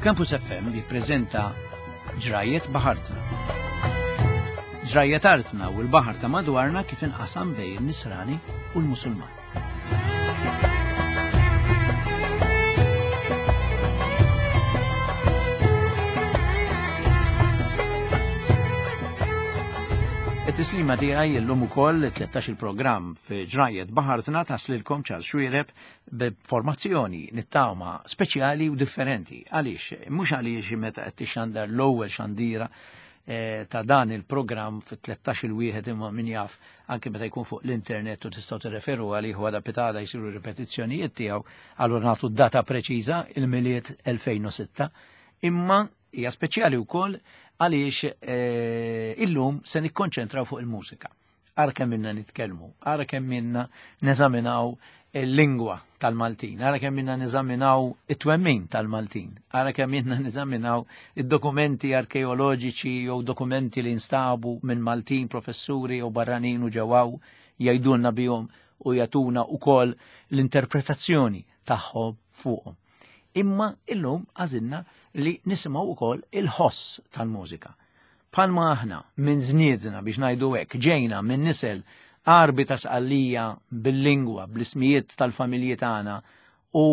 Campus FM jippreżenta Ġrajiet Baħartna. Ġrajiet artna u l-baħar ta' madwarna kif inqasam bejn in-Nisrani u l-Musulman. It-tislima tiegħi llum ukoll 13 il-programm fi ġrajiet baħartna taslilkom Charles Xuereb b'formazzjoni nittama speċjali u differenti. Għaliex? Mhux għaliex meta qed tixandar l-ewwel xandira eh, ta' dan il-programm fit-13 il-wieħed imma min jaf anke meta jkun fuq l-internet u tistgħu tirreferu għalih għada pitada jsiru ripetizzjonijiet tiegħu allura nagħtu data preċiża il-miliet 2006 imma hija speċjali wkoll għaliex eh, illum se nikkonċentraw fuq il-mużika. Ara kemm minna nitkellmu, ara kemm minna neżaminaw il-lingwa tal-Maltin, ara kemm minna neżaminaw it-twemmin tal-Maltin, ara kemm minna neżaminaw id-dokumenti arkeoloġiċi jew dokumenti li nstabu minn Maltin, professuri jew barranin u ġewaw jgħidulna bihom u jagħtuna wkoll l-interpretazzjoni tagħhom fuqhom. Imma illum għażilna li nisimgħu wkoll il-ħoss tal-mużika. Bħalma aħna minn żniedna biex ngħidu hekk ġejna minn nisel Għarbi ta' Sqallija bil-lingwa, bl-ismijiet tal-familji tagħna u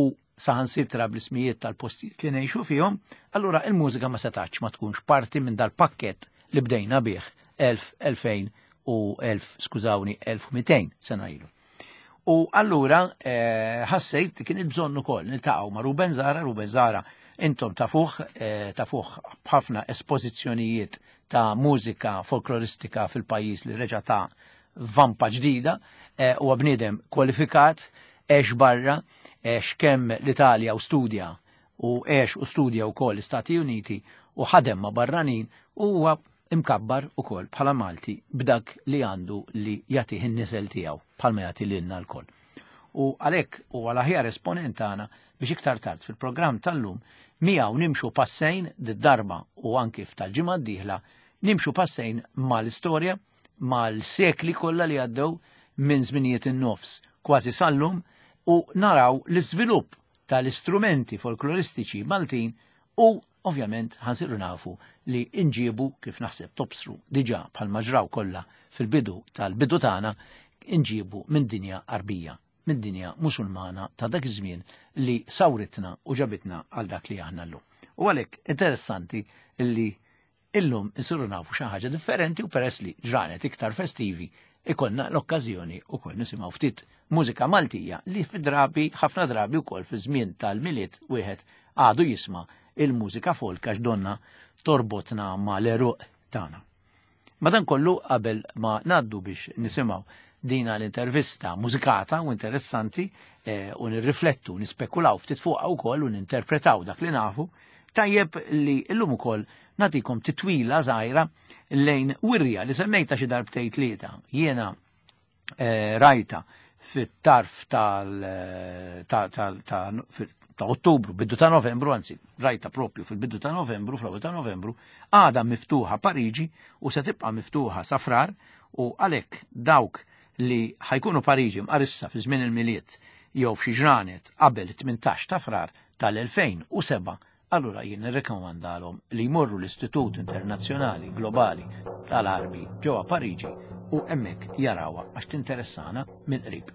saħansitra bl-ismijiet tal-postijiet li ngħixu fihom, allura il-mużika ma setax ma tkunx parti minn dal-pakkett li bdejna bih 1000, 2000 u 1000, skużawni, 1200 sena ilu. U allura eh, ħassejt li kien il-bżonn ukoll niltaqgħu ma' Ruben Zara, Ruben Zara intom tafuh, eh, tafuh b'ħafna espożizzjonijiet ta' mużika folkloristika fil-pajjiż li reġa' ta' vampa ġdida, eh, huwa bniedem kwalifikat, għex barra, għex kemm l-Italja u studja u għex u studja wkoll l-Istati Uniti u ħadem ma' barranin u huwa imkabbar ukoll bħala Malti b'dak li għandu li jagħtih in-nisel tiegħu bħalma jagħti lilna lkoll. U għalhekk huwa l-aħjar esponent tagħna biex iktar tard fil-programm tal-lum miegħu nimxu passejn d-darba u anki f'tal-ġimgħa d-dieħla nimxu passejn mal-istorja, mal-sekli kollha li għaddew minn żminijiet in-nofs kważi sal-lum u naraw l-iżvilupp tal-istrumenti folkloristiċi Maltin u Ovvjament ħa nsiru nafu li inġiebu kif naħseb tobsru diġà bħalma ġraw kollha fil-bidu tal-bidu tagħna inġiebu minn dinja Għarbija, minn dinja Musulmana ta' dak iż-żmien li sawritna u ġabitna għal dak li aħna llum. U għalhekk interessanti li Illum insiru nafu xi ħaġa differenti u peress li ġranet iktar festivi ikollna l-okkażjoni wkoll nisimgħu ftit mużika Maltija li fi drabi ħafna drabi wkoll fi żmien tal-Milied wieħed għadu jisma' il-mużika folk għax donna torbotna mal-għeruq tagħna. Madankollu qabel ma ngħaddu biex nisimgħu dina l-intervista mużikata u interessanti eh, u nirriflettu, nispekulaw ftit fuqha wkoll u ninterpretaw dak li nafu, tajjeb li llum ukoll nagħtikom titwila żgħira lejn wirja li semmejta xi darbtejn tlieta. Jiena eh, rajta fit-tarf tal eh, ta' ta' ta' ta' Ottubru, bidu ta' Novembru, anzi, rajta propju fil-bidu ta' Novembru, fl-ewwel ta' Novembru, għada miftuħa Pariġi u se tibqa' miftuħa safrar u għalhekk dawk li ħajkunu Pariġi mqarissa fi żmien il-Milied jew f'xi ġranet qabel 18 ta' Frar tal-2007, allura jien nirrekomandalhom li jmorru l-Istitut Internazzjonali Globali tal-Għarbi ġewwa Pariġi u hemmhekk jarawha għax tinteressana mill-qrib.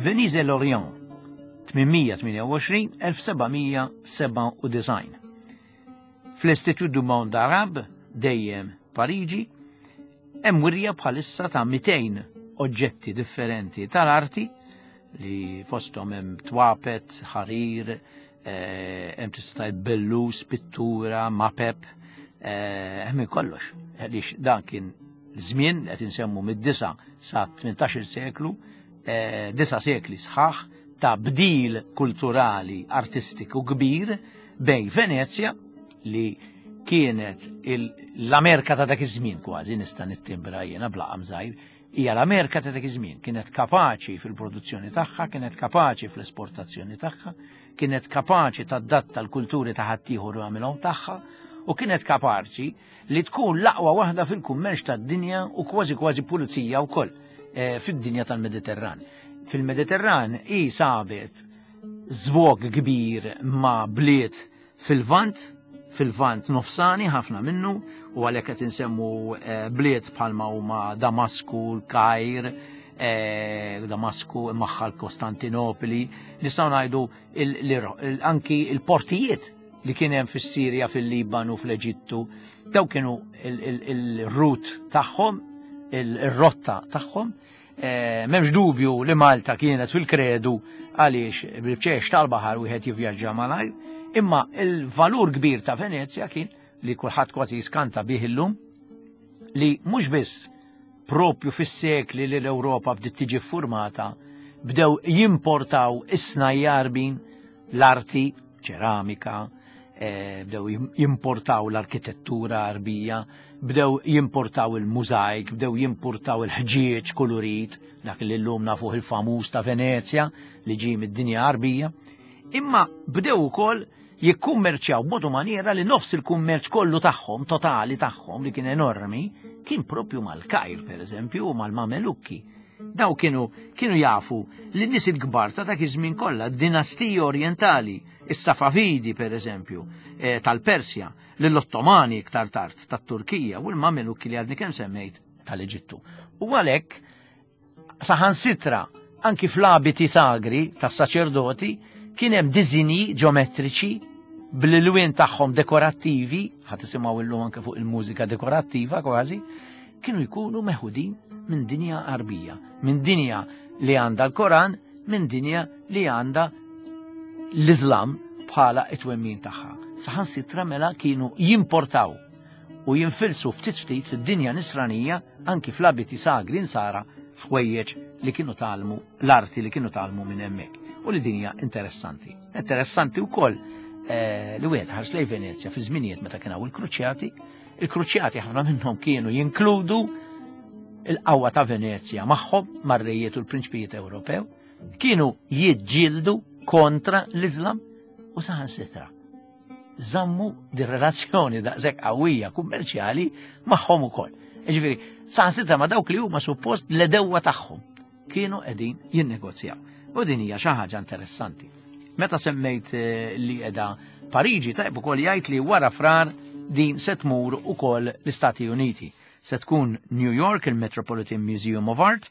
Venise Lorient, 828-1797. Fl-Institut du Monde Arabe, dejjem Pariġi, hemm wirja bħalissa ta' 200 'oġġetti differenti tal-arti li fosthom hemm twapet, ħarir, eh, hemm tista' tgħid bellus, pittura, mapep, eh, hemm kollox. Għaliex dan kien żmien qed insemmu mid-disa sa 18 seklu, eh, disa sekli sħaħ ta' bdil kulturali artistiku kbir bejn Venezja li kienet l-Amerika ta' dak iż-żmien kważi nista' nittimbra jiena bla żgħir, hija l-Amerika ta' dak iż-żmien, kienet kapaċi fil-produzzjoni tagħha, kienet kapaċi fl-esportazzjoni tagħha, kienet kapaċi tadatta l-kulturi ta' ħaddieħor u għamilhom tagħha, u kienet kapaċi li tkun l-aqwa waħda fil-kummerċ tad-dinja u kważi kważi pulizija wkoll eh, fid-dinja tal-Mediterran. Fil-Mediterran hi sabet żvog kbir ma' bliet fil-Lvant, fil-Lvant nofsani ħafna minnu, u għalhekk qed insemmu eh, bliet bħalma huma Damasku, l-Kajr, eh, Damasku, magħha l-Kostantinopoli, nistgħu ngħidu anki il-portijiet li kien hemm fis-Sirja, fil-Libanu, fl-Eġittu, daw kienu il-rut tagħhom, il-rotta tagħhom. Eh, m'hemmx dubju li Malta kienet fil-kredu għaliex bil-bċex tal-baħar wieħed jivvjaġġa malajr, imma il-valur kbir ta' Venezja kien li kulħadd kważi jiskanta bih illum li mhux biss propju fis-sekli li l-Ewropa bdiet tiġi ffurmata bdew jimportaw is-snajjarbin l-arti ċeramika, eh, bdew jimportaw l-arkitettura arbija, bdew jimportaw il-mużajk, bdew jimportaw il-ħġieġ kulurit, dak li llum nafuh il-famuż ta' Venezja li ġie mid-dinja arbija, imma bdew ukoll jikkummerċjaw b'modu maniera li nofs il-kummerċ kollu tagħhom, totali tagħhom li kien enormi, kien propju mal-Kajr pereżempju u mal-Mamelukki. Daw kienu kienu jafu li nies il-kbar ta' dak iż-żmien kollha, dinastiji orjentali, is-Safavidi pereżempju, eh, tal-Persja, lill-Ottomani iktar tard tat-Turkija u l-Mamelukki li għadni kemm semmejt tal-Eġittu. U għalhekk saħansitra anki fl-abiti sagri tas-saċerdoti kien hemm diżinji ġeometriċi bl-ilwien tagħhom dekorattivi, ħadd isimgħu illum anke fuq il-mużika dekorattiva kważi, kienu jkunu meħudin minn dinja Arbija, minn dinja li għandha l-Koran, minn dinja li għandha l-Islam bħala it-twemmin tagħha. Saħansitra mela kienu jimportaw u jinfilsu ftit ftit fid-dinja nisranija anki fl-abiti sagri nsara ħwejjeġ li kienu talmu l-arti li kienu talmu minn hemmhekk. U li dinja interessanti. Interessanti wkoll eh, li wieħed ħares lej Venezja fi żminijiet meta kien hawn il-kruċjati Il-kruċjati ħafna minnhom kienu jinkludu il-qawwa ta' Venezja magħhom mar-rejiet u l-prinċpijiet Ewropew, kienu jiġġieldu kontra l-Iżlam u saħansitra żammu di relazzjoni daqshekk qawwija kummerċjali magħhom ukoll. Ġifieri, saħansitra ma' dawk li huma suppost l-edewwa tagħhom. kienu qegħdin jinnegozjaw. U din hija xi ħaġa interessanti. Meta semmejt eh, li qiegħda Pariġi tajb ukoll jgħid li wara frar din se tmur ukoll l-Istati Uniti. Se tkun New York il-Metropolitan Museum of Art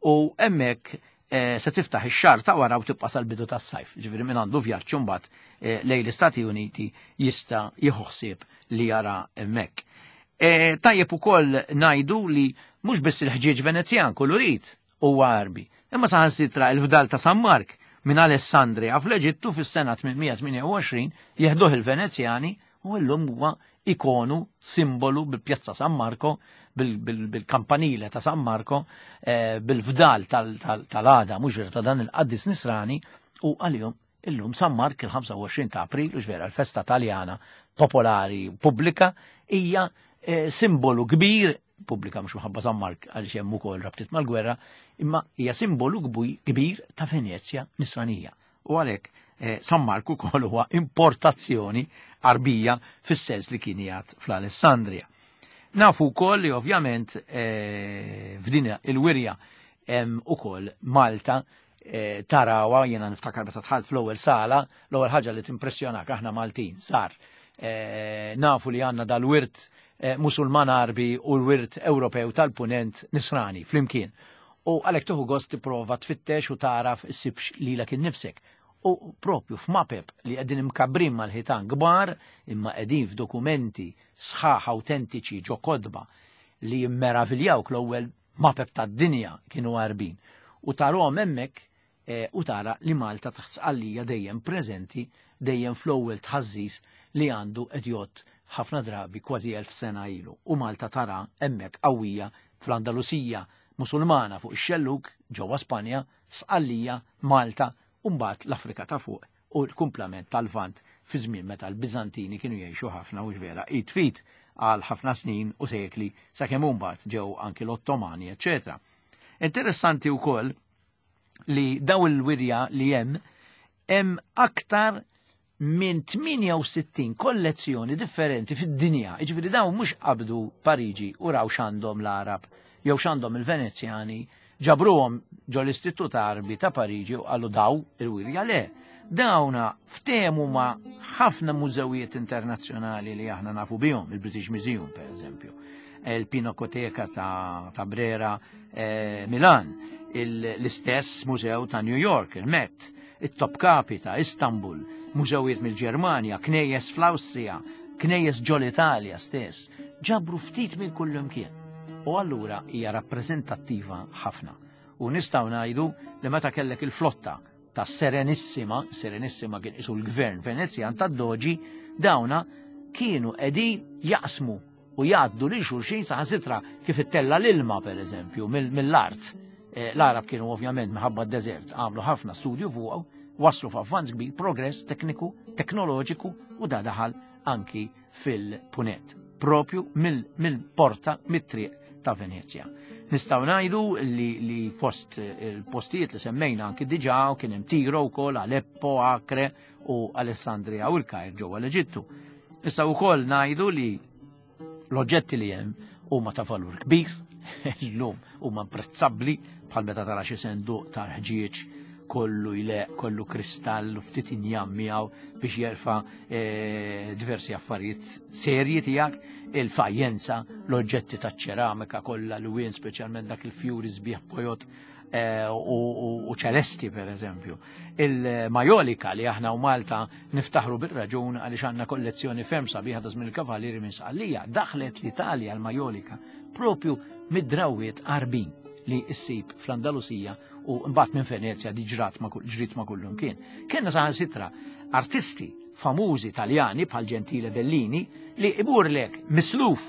u hemmhekk eh, se tiftaħ ix-xahar ta' wara u tibqa' sal-bidu tas-sajf. Ġifieri min għandu vjaġġ imbagħad eh, lejn l-Istati Uniti jista' jieħu ħsieb li jara hemmhekk. E, tajjeb ukoll ngħidu li mhux biss il-ħġieġ Venezjan kulurit huwa Għarbi, imma saħansitra il-fdal ta' San Mark minn Alessandria fl-Eġittu fis-sena 828 jeħduh il-Venezjani u llum huwa ikonu, simbolu bil-Pjazza San Marco, bil-kampanile ta' San Marco, eh, bil-fdal tal-għada, mhux vera ta' dan il-qaddis nisrani u għalihom Illum San Mark il-25 ta' April, u vera l-festa taljana popolari pubblika, hija eh, simbolu kbir pubblika mhux minħabba San Mark għaliex hemm ukoll rabtiet mal-gwerra, imma hija simbolu kbir ta' Venezja nisranija. U għalhekk eh, San Mark ukoll huwa importazzjoni arbija fis-sens li kien jgħad fl-Alessandria. Nafu wkoll li ovvjament eh, f'din il-wirja hemm ukoll Malta Eh, tarawa, jiena niftakar meta tħalt fl-ewwel sala, l-ewwel ħaġa li timpressjonak aħna Maltin sar. Eh, nafu li għandna dal-wirt eh, Musulman Arbi u l-wirt Ewropew tal-Punent Nisrani flimkien. U għalhekk tieħu gost tipprova tfittex u taraf issibx lilek innifsek. U propju f'mapep li qegħdin imkabbrin mal-ħitan kbar imma qegħdin f'dokumenti sħaħ autentiċi ġo kodba li jimmeraviljawk l-ewwel mapep tad-dinja kienu għarbin. U tarhom hemmhekk eh, u tara li Malta taħt Sqallija dejjem preżenti, dejjem fl-ewwel tħażżiż li għandu qed jgħodd ħafna drabi kważi 1000 sena ilu. U Malta tara hemmhekk qawwija fl-Andalusija Musulmana fuq ix-xellug ġewwa Spanja, Sqallija, Malta u mbagħad l-Afrika ta' fuq u l-kumplament tal-Lvant fi żmien meta l-Biżantini kienu jgħixu ħafna u vera id fit għal ħafna snin u sekli sakemm mbagħad ġew anki l-Ottomani, eċċetera. Interessanti wkoll li daw il-wirja li hemm hemm aktar minn 68 kollezzjoni differenti fid-dinja. Jiġifieri dawn mhux qabdu Pariġi u raw x'għandhom l-Għarab jew x'għandhom il-Venezjani, ġabruhom ġo l-Istitut Għarbi ta' Pariġi u qalu daw il-wirja le. Dawna ftehmu ma' ħafna mużewijiet internazzjonali li aħna nafu bihom, il-British Museum per eżempju, il-Pinakoteka ta', ta Brera eh, Milan, l-istess mużew ta' New York, il-Met, it-Topkapi ta' Istanbul, mużewijiet mill-Ġermanja, knejjes fl-Awstrija, knejjes ġol-Italja stess, ġabru ftit minn kullimkien. U allura hija rappreżentattiva ħafna. U nistgħu ngħidu li meta kellek il-flotta ta' Serenissima, Serenissima kien isu l-gvern Venezjan ta' Doġi, dawna kienu qegħdin jaqsmu u jgħaddu lil xulxin saħansitra kif ittella l-ilma per eżempju mill-art. Eh, L-Arab kienu ovvjament minħabba d-deżert għamlu ħafna studju fuqu, waslu f'avvanz kbir, progress tekniku, teknoloġiku u da daħal anki fil-punent, propju mill-porta mit-triq ta' Venezja. Nistgħu ngħidu li, li fost il-postijiet li semmejna anki diġà u kien hemm Tiro wkoll, Aleppo, Acre u Alessandria u l-Kajr ġewwa l-Eġittu. Nistgħu wkoll ngħidu li l-oġġetti li hemm huma ta' valur kbir, illum huma imprezzabbli bħal meta tara xi senduq tal-ħġieġ kollu jleq, kollu kristall u ftit injam miegħu biex jerfa' eh, diversi affarijiet serji tiegħek, il-fajjenza, l-oġġetti taċ-ċeramika kollha l-wien speċjalment dak il-fjuri sbieħ bojot eh, u ċelesti per eżempju. Il-majolika li aħna u Malta niftaħru bil-raġun għaliex għandna kollezzjoni ferm sabiħa ta' żmien il-Kavalieri minn Sqallija, daħlet l-Italja l-majolika propju mid-drawiet Għarbin li ssib fl-Andalusija u mbagħad minn Venezja di ġrat ma ġrit ma kullum kien. Kienna saħansitra artisti famużi Taljani bħal Gentile Bellini li iburlek misluf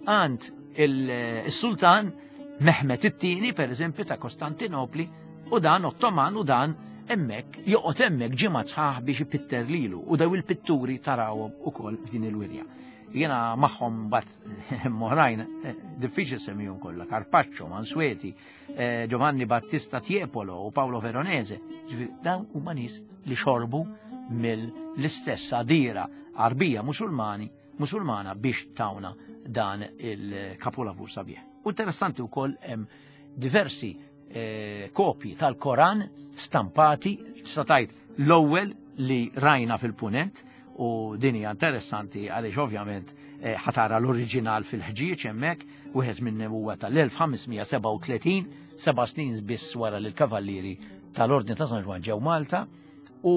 għand il-sultan Mehmet it-tieni per eżempju ta' Kostantinopli u dan Ottoman u dan hemmhekk joqgħod hemmhekk ġimgħa sħaħ biex ipitter lilu u daw il-pitturi tarawhom ukoll f'din il-wirja. Jiena magħhom bat moħrajn eh, diffiċli semmihom kollha, Carpaccio, Mansueti, eh, Giovanni Battista Tiepolo u Paolo Veronese. Ġifieri dawn huma nies li xorbu mill-istess għadira Arbija Musulmani Musulmana biex tawna dan il-kapolavur sabiħ. U interessanti wkoll hemm diversi eh, kopji tal-Koran stampati, tista' tgħid l-ewwel li rajna fil-punent u din hija interessanti għaliex ovvjament eh, ħatara l-oriġinal fil-ħġieġ hemmhekk, wieħed minn huwa tal-1537, seba' snin biss wara li l-kavallieri tal-Ordni ta' San Ġwann ġew Malta u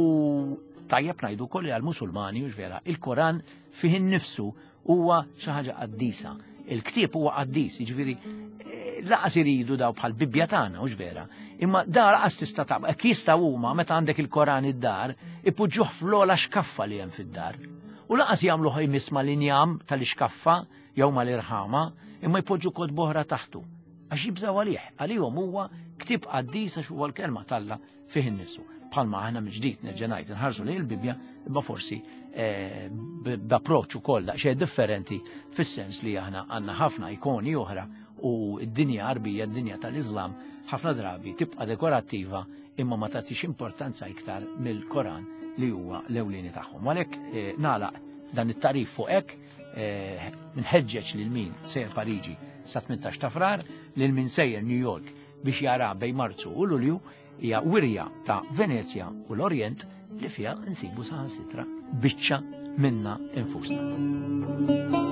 tajjeb ngħidu wkoll li għall-Musulmani u vera, il-Koran fih innifsu huwa xi ħaġa qaddisa. Il-ktieb huwa qaddis, jiġifieri eh, laqas iridu daw bħal Bibbja tagħna, hux vera. Imma da laqas tista' taqba, hekk jistgħu huma meta għandek il-Koran id-dar, ipoġġuh fl-ogħla xkaffa li hemm fid-dar. U laqas jagħmluh jmiss mal-injam tal-ixkaffa jew mal-irħama, imma jpoġġu kotba oħra taħtu. Għax jibżgħu għalih, għalihom huwa ktieb qaddis għax huwa l-kelma t'Alla fih innifsu. Bħalma aħna mill-ġdid nerġa' ngħid inħarsu lejn il-Bibbja, imma forsi eh, b'approċċ ukoll daqsxejn differenti fis-sens li aħna għandna ħafna ikoni oħra u d-dinja Għarbija, d-dinja tal-Iżlam, ħafna drabi tibqa' dekorattiva imma ma tagħtix importanza iktar mill-Koran li huwa l-ewlieni tagħhom. Għalhekk eh, nagħlaq dan it-tarif fuq hekk eh, nħeġġeġ lil min sejjer Pariġi sa 18 ta' Frar, lil min sejjer New York biex jara bejn Marzu u Lulju hija wirja ta' Venezja u l-Orjent li fiha nsibu saħansitra biċċa minna infusna.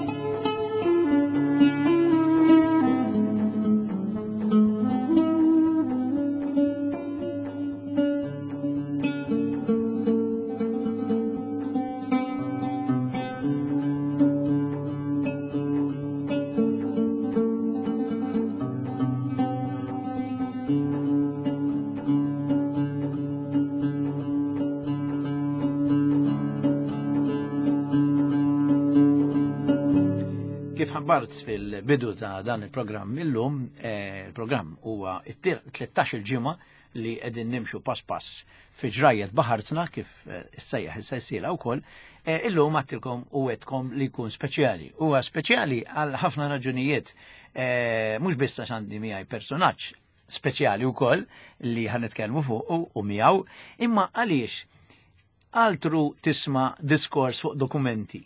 ħabbart fil-bidu ta' dan il-programm illum, eh, il-programm huwa 13 il-ġimgħa li qegħdin nimxu pass pass fi ġrajjet baħartna kif eh, issejjaħ is-sensiela wkoll, eh, illum għattilkom u għedkom li jkun speċjali. Huwa speċjali għal ħafna raġunijiet, mhux biss għax għandi miegħi personaġġ speċjali wkoll li ħanitkellmu fuq u miegħu, imma għaliex altru tisma' diskors fuq dokumenti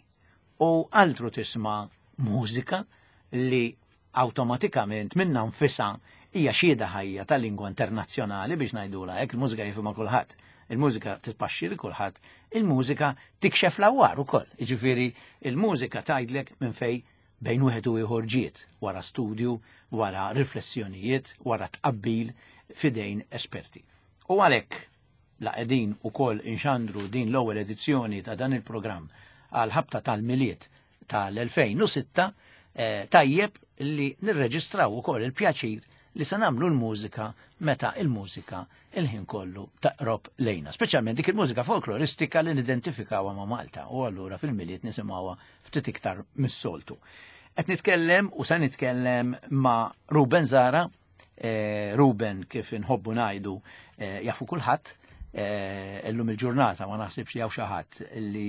u altru tisma' mużika li awtomatikament minnha nfisha hija xhieda ħajja ta' lingwa internazzjonali biex ngħidulha hekk, il-mużika jifhimha kulħadd. Il-mużika titpaxxi li kulħadd, il-mużika tikxef l-awwar ukoll. Jiġifieri il-mużika tgħidlek minn fejn bejn wieħed u ieħor ġiet wara studju, wara riflessjonijiet, wara tqabbil f'idejn esperti. U għalhekk la qegħdin ukoll inxandru din l-ewwel edizzjoni ta' dan il-programm għal ħabta tal-Milied tal-2006, eh, tajjeb li nirreġistraw ukoll il-pjaċir li se nagħmlu l-mużika meta il-mużika il-ħin kollu taqrob lejna. Speċjalment dik il-mużika folkloristika li nidentifikawha ma' Malta u allura fil-Milied nisimgħuha ftit iktar mis-soltu. Qed nitkellem u se nitkellem ma' Ruben Zara, eh, Ruben kif inħobbu ngħidu eh, jafu kulħadd, eh, illum il-ġurnata ma naħsibx li hawn xi ħadd li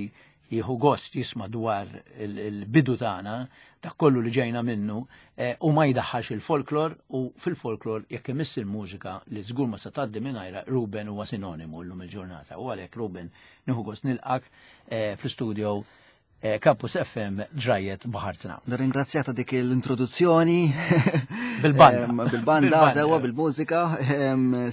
jieħu gost jisma' dwar il-bidu tagħna, dak kollu li ġejna minnu, u ma jdaħħalx il-folklor u fil-folklor jekk imiss il-mużika li żgur ma se tgħaddi mingħajra Ruben huwa sinonimu llum il-ġurnata. U għalhekk Ruben nieħu gost nilqak fl-istudio Eh, Campus FM ġrajet baħartna. Nirringrazzja ta' dik l-introduzzjoni. Bil-banda. Bil-banda, sewa, bil-mużika,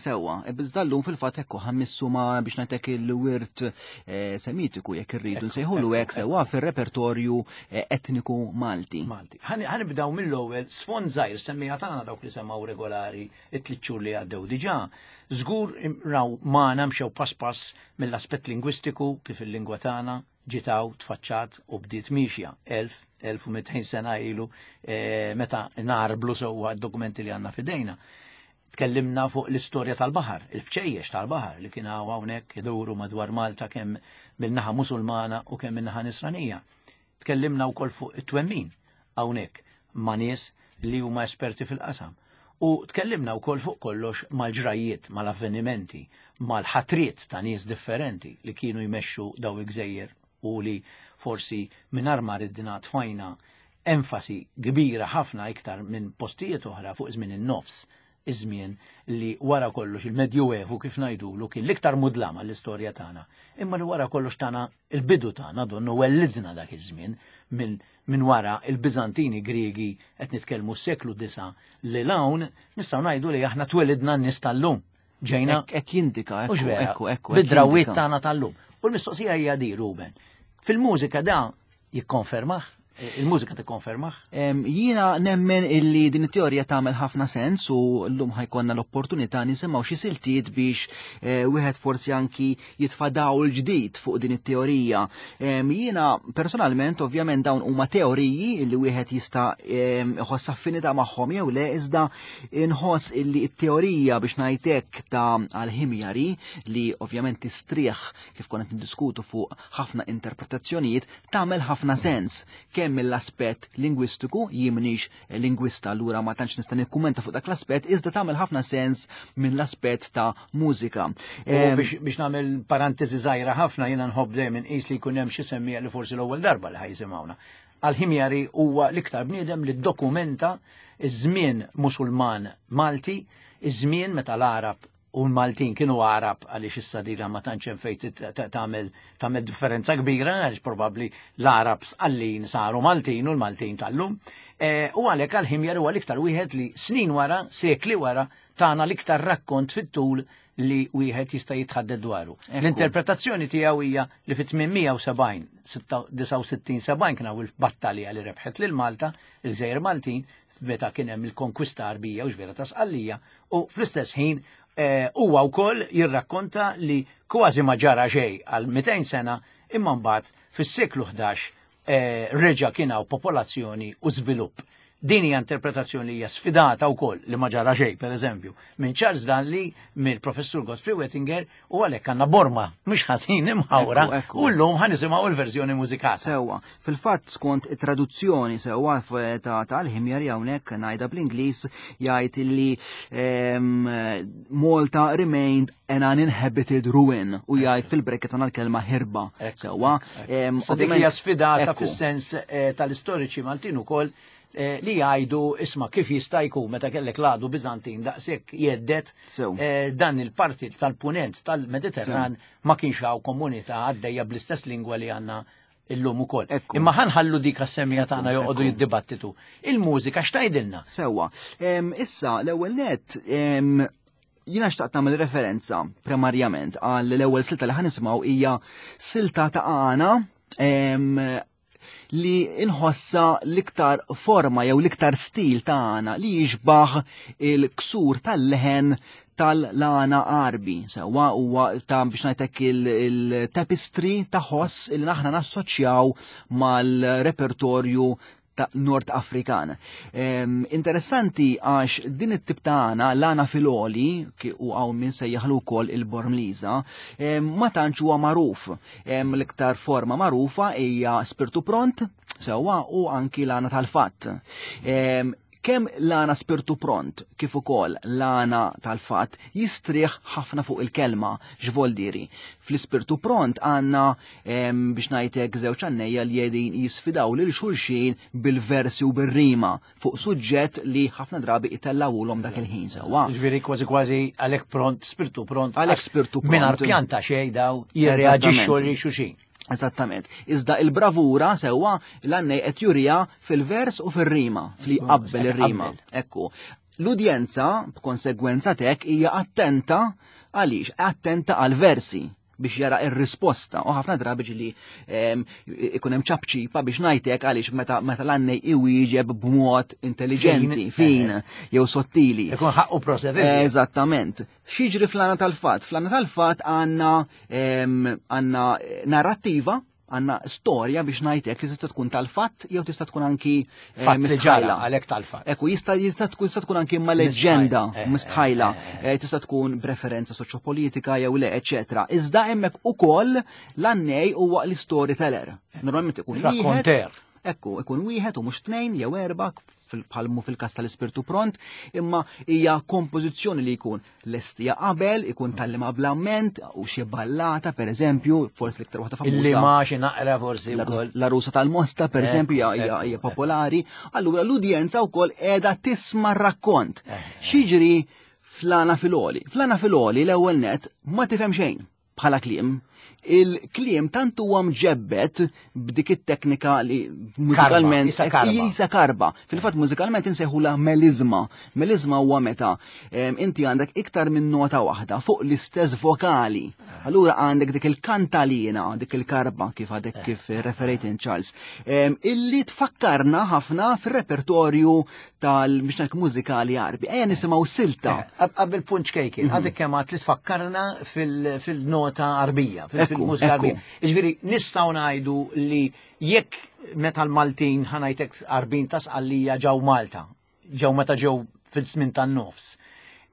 sewa. E Bizdallum fil-fat ekku ħammissu ma biex najtek il-wirt eh, semitiku jekk irridu nsejħulu hekk sewa fir-repertorju eh, etniku Malti. Malti. Ħanibdaw mill-ewwel sfond żgħir semmija tagħna dawk li semmaw regolari it-tliet xhur li għaddew diġà. Żgur raw magħna mxew pass pass mill-aspett lingwistiku kif il-lingwa tagħna ġiet hawn, tfaċċat u bdiet miexja 1000, 1200 sena ilu eh, meta narblu sewwa d-dokumenti li għandna fidejna. Tkellimna fuq l-istorja tal-baħar, il-bċejjex tal-baħar li kien hawn hawnhekk iduru madwar Malta kemm min-naħa Musulmana u kemm min-naħa Nisranija. Tkellimna wkoll fuq it-twemmin hawnhekk ma' nies li huma esperti fil-qasam. U tkellimna wkoll fuq kollox mal-ġrajjiet, mal-avvenimenti, mal-ħatriet ta' nies differenti li kienu jmexxu daw il-gżejjer u li forsi mingħajr ma ridna tfajna enfasi kbira ħafna iktar minn postijiet oħra fuq żmien in-nofs iż-żmien li wara kollox il-Medjuevu kif ngħidulu kien l-iktar mudlam għall-istorja tagħna, imma li wara kollox tagħna il-bidu tagħna donnu wellidna dak iż-żmien minn min wara il-Biżantini Griegi qed nitkellmu s-seklu disa li l-hawn nistgħu ngħidu li aħna twelidna n-nies tal-lum. Ġejna. Hekk jindika, ekku, ekku, ekku. Bid-drawiet tagħna tal-lum. U l-mistoqsija hija di, Ruben. Fil-mużika da jikkonfermah? Il-mużika tikkonfermah? Jiena nemmen illi din it-teorija tagħmel ħafna sens u llum ħajkonna l-opportunità nisimgħu xi siltiet biex eh, wieħed forsi anki jitfa' dawl ġdid fuq din it-teorija. Jiena personalment ovvjament dawn huma teoriji illi wieħed jista' iħoss affinità magħhom jew le iżda inħoss illi t-teorija biex ngħidlek ta' għal-ħimjari li ovvjament tistrieħ kif konna niddiskutu fuq ħafna interpretazzjonijiet tagħmel ħafna sens kemm mill-aspett lingwistiku, jien m'iniex lingwista allura ma tantx nista' nikkummenta fuq dak l-aspett, iżda tagħmel ħafna sens mill-aspett ta' mużika. Biex nagħmel parentesi żgħira ħafna jiena nħobb dejjem inqis li jkun hemm xi semmija li forsi l-ewwel darba li ħajsimgħuna. Al-Ħimjari huwa l-iktar bniedem li ddokumenta iż-żmien Musulman Malti, iż-żmien meta l-Għarab u l-Maltin kienu Għarab għaliex issa dira ma tantx hemm fejn tagħmel tagħmel differenza kbira għaliex probabbli l-Għarab sqallin saru Maltin u l-Maltin tal-lum. E, u għalhekk għal-Ħimjar huwa l-iktar wieħed li snin wara, sekli wara, tana l-iktar rakkont fit-tul li wieħed jista' jitħadded dwaru. L-interpretazzjoni tiegħu hija li fit-870, 69 70 kien hawn il-battalja li rebħet lil Malta, il-Gżejjer Maltin, meta kien hemm il-konkwista Arbija u x'vera ta' Sqallija, u fl-istess ħin eh, huwa wkoll jirrakkonta li kważi ma ġara xejn għal 200 sena imma mbagħad fis-seklu 11 eh, reġa' kien hawn popolazzjoni u żvilupp. Din hija interpretazzjoni li hija sfidata wkoll li ma ġara xejn, pereżempju, minn Charles Danley, mill-Professur Godfrey Wettinger u għalhekk għandna borma mhux ħażin imħawra u llum ħa nisimgħu l-verżjoni mużikata. Sewwa, fil-fatt skont it-traduzzjoni sewwa ta' tal-Ħimjari hawnhekk ngħidha bl-Ingliż jgħid li Malta remained an uninhabited ruin u jgħid fil-brackets għandna l-kelma ħirba. Sewwa. Dik hija sfidata fis-sens eh, tal-istoriċi Maltin ukoll eh, li jgħidu isma' kif jista' jkun meta kellek l-għadu Biżantin daqshekk jeddet eh, dan il-parti tal-punent tal-Mediterran ma kienx hawn komunità għaddejja bl-istess lingwa li għandna illum ukoll. Imma ħanħallu dik għas-semija tagħna joqogħdu jiddibattitu. Il-mużika x'tgħidilna? Sewwa. Issa l-ewwel net jiena xtaqt nagħmel referenza primarjament għal l-ewwel silta li ħanisimgħu hija silta ta' għana li inħossa l-iktar forma jew l-iktar stil tagħna li jixbaħ il-ksur tal-leħen tal-lana arbi. Sewa huwa ta' biex ngħidlek il-tapestry ta' ħoss li aħna nassoċjaw mal-repertorju ta' Nord Afrikan. Interessanti għax din it-tip ta' għana, l-għana fil-oli, u għaw minn sejjaħlu wkoll il-Bormliza, ma tantx huwa magħruf. L-iktar forma magħrufa hija spirtu pront, sewwa u anki l-għana tal-fatt. Kemm l-għana spirtu pront kif ukoll l-għana tal-fatt jistrieħ ħafna fuq il-kelma x'voldiri. Fl-ispirtu pront għandna biex ngħidlek żewġ għannejja li qegħdin jisfidaw lil xulxin bil-versi u bir-rima fuq suġġett li ħafna drabi itellawulhom dak il-ħin sewwa. Ġifieri kważi kważi għalhekk pront, spirtu pront. Għalhekk spirtu pront. Mingħajr pjanta xejn daw jirreaġixxu lil xulxin. Eżattament. Iżda il-bravura sewwa l-għannej qed jurija fil-vers u fir-rima, fli qabbel ir-rima. Ekku. L-udjenza, b'konsegwenza tek, hija attenta għaliex, attenta għal-versi biex jara ir-risposta u ħafna drabi ġili ikun hemm ċapċipa biex ngħidlek għaliex meta meta l-għannej iwieġeb b'mod intelligenti, fin, jew sottili. Ikun ħaqqu proset. Eżattament. X'jiġri fl-għana tal-fatt? Fl-għana tal-fatt għandna għandna narrattiva għanna storja biex ngħidlek li tista' tkun tal-fatt jew tista' tkun anki eh, mistħajla. Għalhekk tal-fatt. Ekku jista' jista' tkun tista' tkun anki ma' leġġenda eh, eh, mistħajla, tista' tkun b'referenza soċjopolitika jew le, eċetera. Iżda hemmhekk ukoll l-għannej huwa l-storyteller. Normalment ikun wieħed. Ekku, ikun wieħed u mhux tnejn jew erba' bħalmu fil-kas tal-ispirtu pront, imma hija kompożizzjoni li jkun lestija qabel, ikun tallima bl-amment, u xi ballata per eżempju, forsi l-iktar waħda famuża. Illi ma xi naqra forsi wkoll. La Rusa tal-Mosta per eżempju hija popolari, allura l-udjenza wkoll qiegħda tisma' rakkont. Xiġri flana filoli. Flana filoli l-ewwel net ma tifhem xejn. bħala kliem, il-kliem tant huwa mġebbet b'dik it-teknika li mużikalment jisa karba. Fil-fatt mużikalment insejħula melizma. Melizma huwa meta inti għandek iktar minn nota waħda fuq l-istess vokali. Allura għandek dik il-kantalina, dik il-karba kif għadek kif referejt in Charles, illi tfakkarna ħafna fir-repertorju tal biex mużikali Għarbi. Ejja nisimgħu silta. Eh, qabel punt ċkejkien, mhm. għadek kemm għad li tfakkarna fil-nota Arbija, fil-mużika Arbija. Jiġifieri nistgħu ngħidu li jekk meta l-Maltin ħanajtek Arbin ta' Sqallija ġew Malta, ġew meta ġew fil-żmien tan-nofs.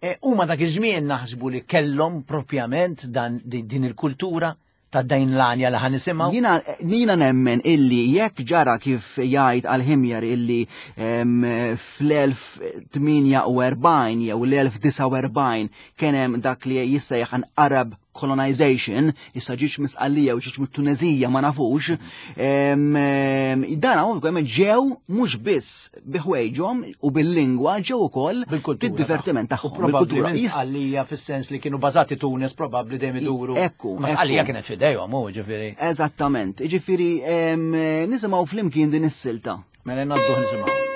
E, huma dak iż-żmien naħsbu li kellhom propjament dan din il-kultura ta' dajn l-għanja li ħanisimgħu? Jina, jina nemmen illi jekk ġara kif jgħid għal-ħimjar illi fl-1048 jew l-1049 kien hemm dak li jissejjaħ an Arab colonization, issa ġiġ misqallija u ġiġ mit-Tunezija ma nafux, dan ovvjament ġew mhux biss bi ħwejġhom u bil-lingwa ġew ukoll bid-divertiment tagħhom. Bil-kultura. Sqallija fis-sens li kienu bażati Tunis probabbli dejjem iduru. Ekku. Ma Sqallija kienet f'idejhom hu ġifieri. Eżattament. Ġifieri nisimgħu flimkien din is-silta. Mela ngħaddu nisimgħu.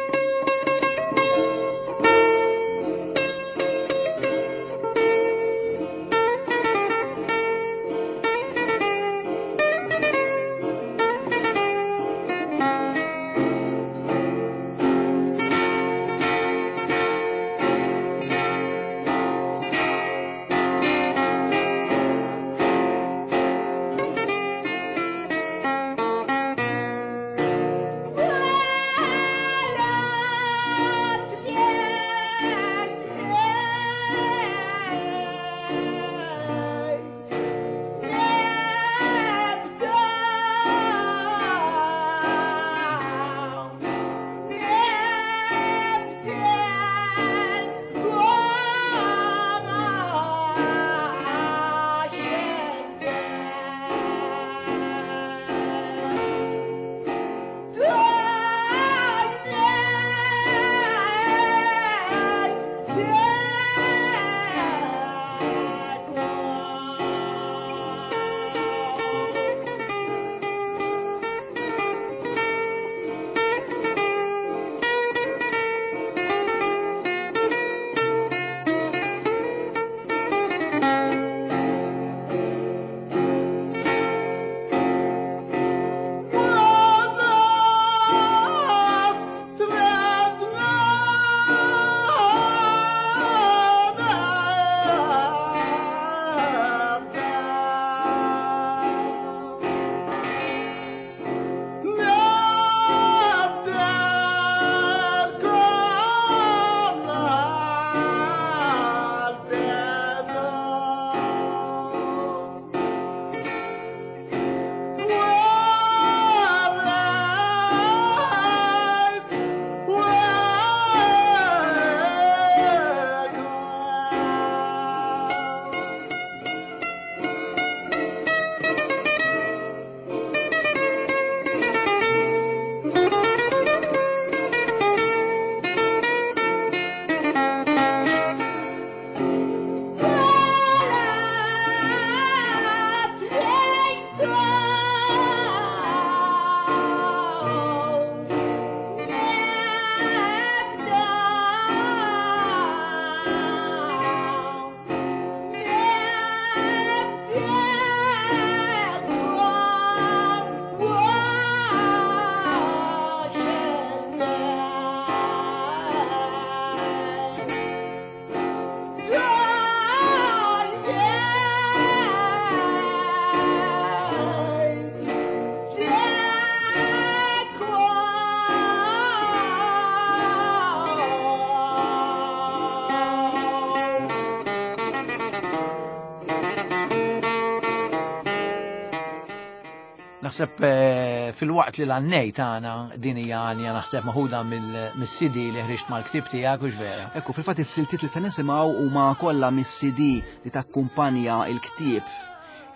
Naħseb eh, fil-waqt li l-għannej tagħna din hija għanja naħseb maħuda mill-CD li ħriġt mal-ktib tiegħek hux vera. Ekku, fil-fatt is-siltiet li se nisimgħu huma kollha mis-CD li takkumpanja il-ktieb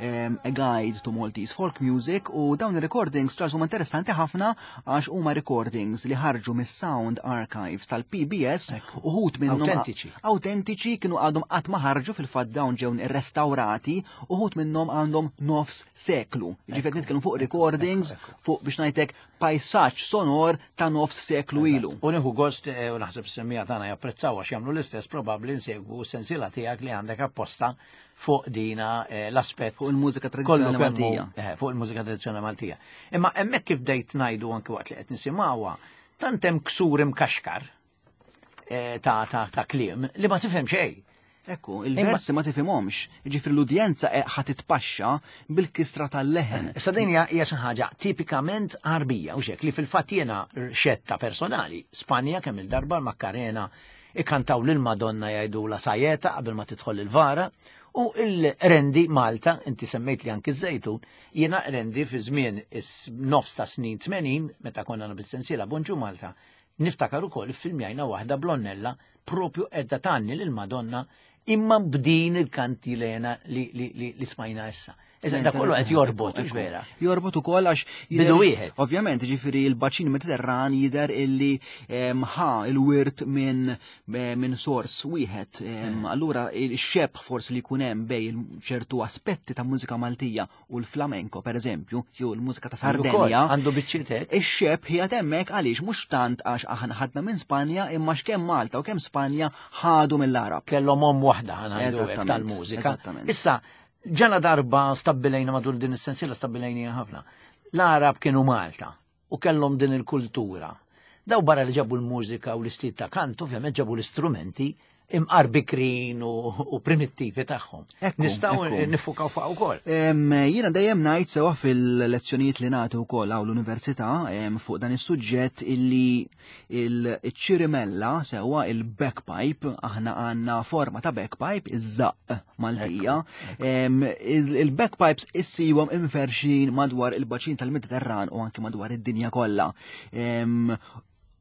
A Guide to Maltese Folk Music u dawn il-recordings ċaż huma interessanti ħafna għax huma recordings li ħarġu mis-Sound Archives tal-PBS uħut minnhom autentiċi. Autentiċi kienu għadhom qatt ma ħarġu fil-fatt dawn ġew irrestawrati uħut minnhom għandhom nofs seklu. Ġifieri nitkellmu fuq recordings fuq biex ngħidlek pajsaġġ sonor ta' nofs seklu ilu. U nieħu gost eh, u naħseb semmija tagħna japprezzaw għax jagħmlu l-istess probabbli nsegwu sensiela tiegħek li għandek apposta fuq dina eh, l-aspett fuq il-mużika tradizzjonali Maltija. Eh, fuq il-mużika tradizzjonali Maltija. Imma hemmhekk kif bdejt ngħidu anke waqt li qed nisimgħuha, tant hemm ksur imkaxkar Eh, ta' ta' ta' kliem li ma tifhem xejn. Ekku, il-versi ma tifhimhomx. Ġifri l-udjenza eh, ħa titpaxxa bil-kistra tal-leħen. Issa din hija xi ħaġa tipikament Għarbija u xek li fil-fatt jiena xetta personali. Spanja kemm il-darba l-Makkarena ikantaw lil Madonna jgħidu la sajeta qabel ma tidħol il-vara u il-rendi Malta, inti semmejt li anki żejtun, jiena rendi fi żmien is-nofs ta' snin 80 meta konna bis-sensiela Bonġu Malta, Niftakar ukoll iffilmjajna waħda blonnella propju qiegħda tgħanni lil Madonna imma b'din il-kantilena li, li, li, li smajna issa. Iżda da kollu qed jorbot, hux vera. Jorbot ukoll għax bidu wieħed. Ovvjament, ġifieri l-baċin Mediterran jidher illi ħa il-wirt minn minn sors wieħed. Allura il-xebh forsi li jkun hemm bej ċertu aspetti ta' mużika Maltija u l-flamenco per eżempju, jew il-mużika ta' Sardenja. Għandu biċċietek. Ix-xeb ħiegħed hemmhekk għaliex mhux tant għax aħna ħadna minn Spanja imma x'kemm Malta u kemm Spanja ħadu mill-Arab. Kellhom omm waħda ħanajdu tal-mużika. Issa, ġala darba stabbilejna matul din is-sensiela stabbilejnija ħafna. L-Arab kienu Malta u kellhom din il-kultura. Daw barra li ġabu l-mużika u l-istil ta' kant, ovvjament ġabu l-istrumenti imqar bikrin u primittivi tagħhom. Nistgħu nifukaw fuq ukoll. Jiena dejjem ngħid sewa fil-lezzjonijiet li nagħti wkoll hawn l-università fuq dan is-suġġett illi il-ċirimella sewa il-backpipe aħna għandna forma ta' backpipe iż-żaqq Maltija. Il-backpipes issibhom imferxin madwar il-baċin tal-Mediterran u anki madwar id-dinja kollha.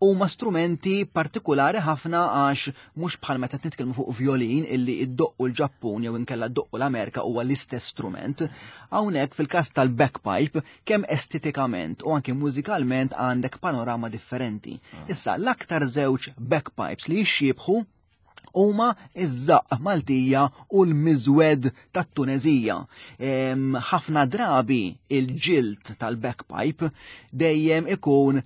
Huma strumenti partikolari ħafna għax mhux bħal meta nitkellmu fuq violin illi iddoqqu l-Ġappun jew inkella ddoqqu l-Amerika huwa l-istess strument. Hawnhekk fil-każ tal-backpipe kemm estetikament u anki mużikalment għandek panorama differenti. Ah. Issa l-aktar żewġ backpipes li jixxiebħu huma iż-żaqq Maltija u l-miżwed tat-Tunezija. Ħafna drabi il-ġild tal-backpipe dejjem ikun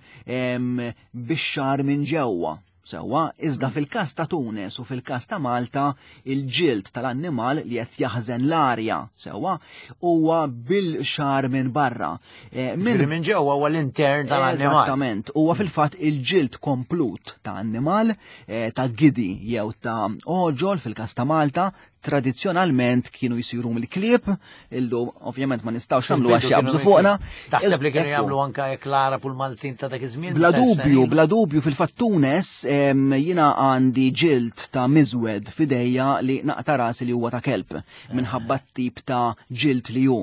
bix-xar minn ġewwa. Sewwa, iżda fil-każ ta' Tunes u fil-każ ta' Malta, il-ġild tal-annimal li qed jaħżen l-arja sewwa huwa bil-xar minn barra. Eh, minn ġewwa huwa l-intern tal-annimal. Eżattament, huwa fil-fatt il-ġild komplut ta' annimal Eh, ta' gidi jew ta' oġol fil-każ ta' Malta tradizzjonalment kienu jsiru mill-klieb, illum ovvjament ma nistgħux nagħmlu għax jaqbżu fuqna. Taħseb li kienu jagħmlu anke jekk l-Arab u l-Maltin ta' dak iż-żmien? Bla dubju, bla dubju fil-fatt Tunes jiena għandi ġild ta' miżwed f'idejja li naqta' rasi li huwa ta' kelb minħabba t-tip ta' ġild li hu.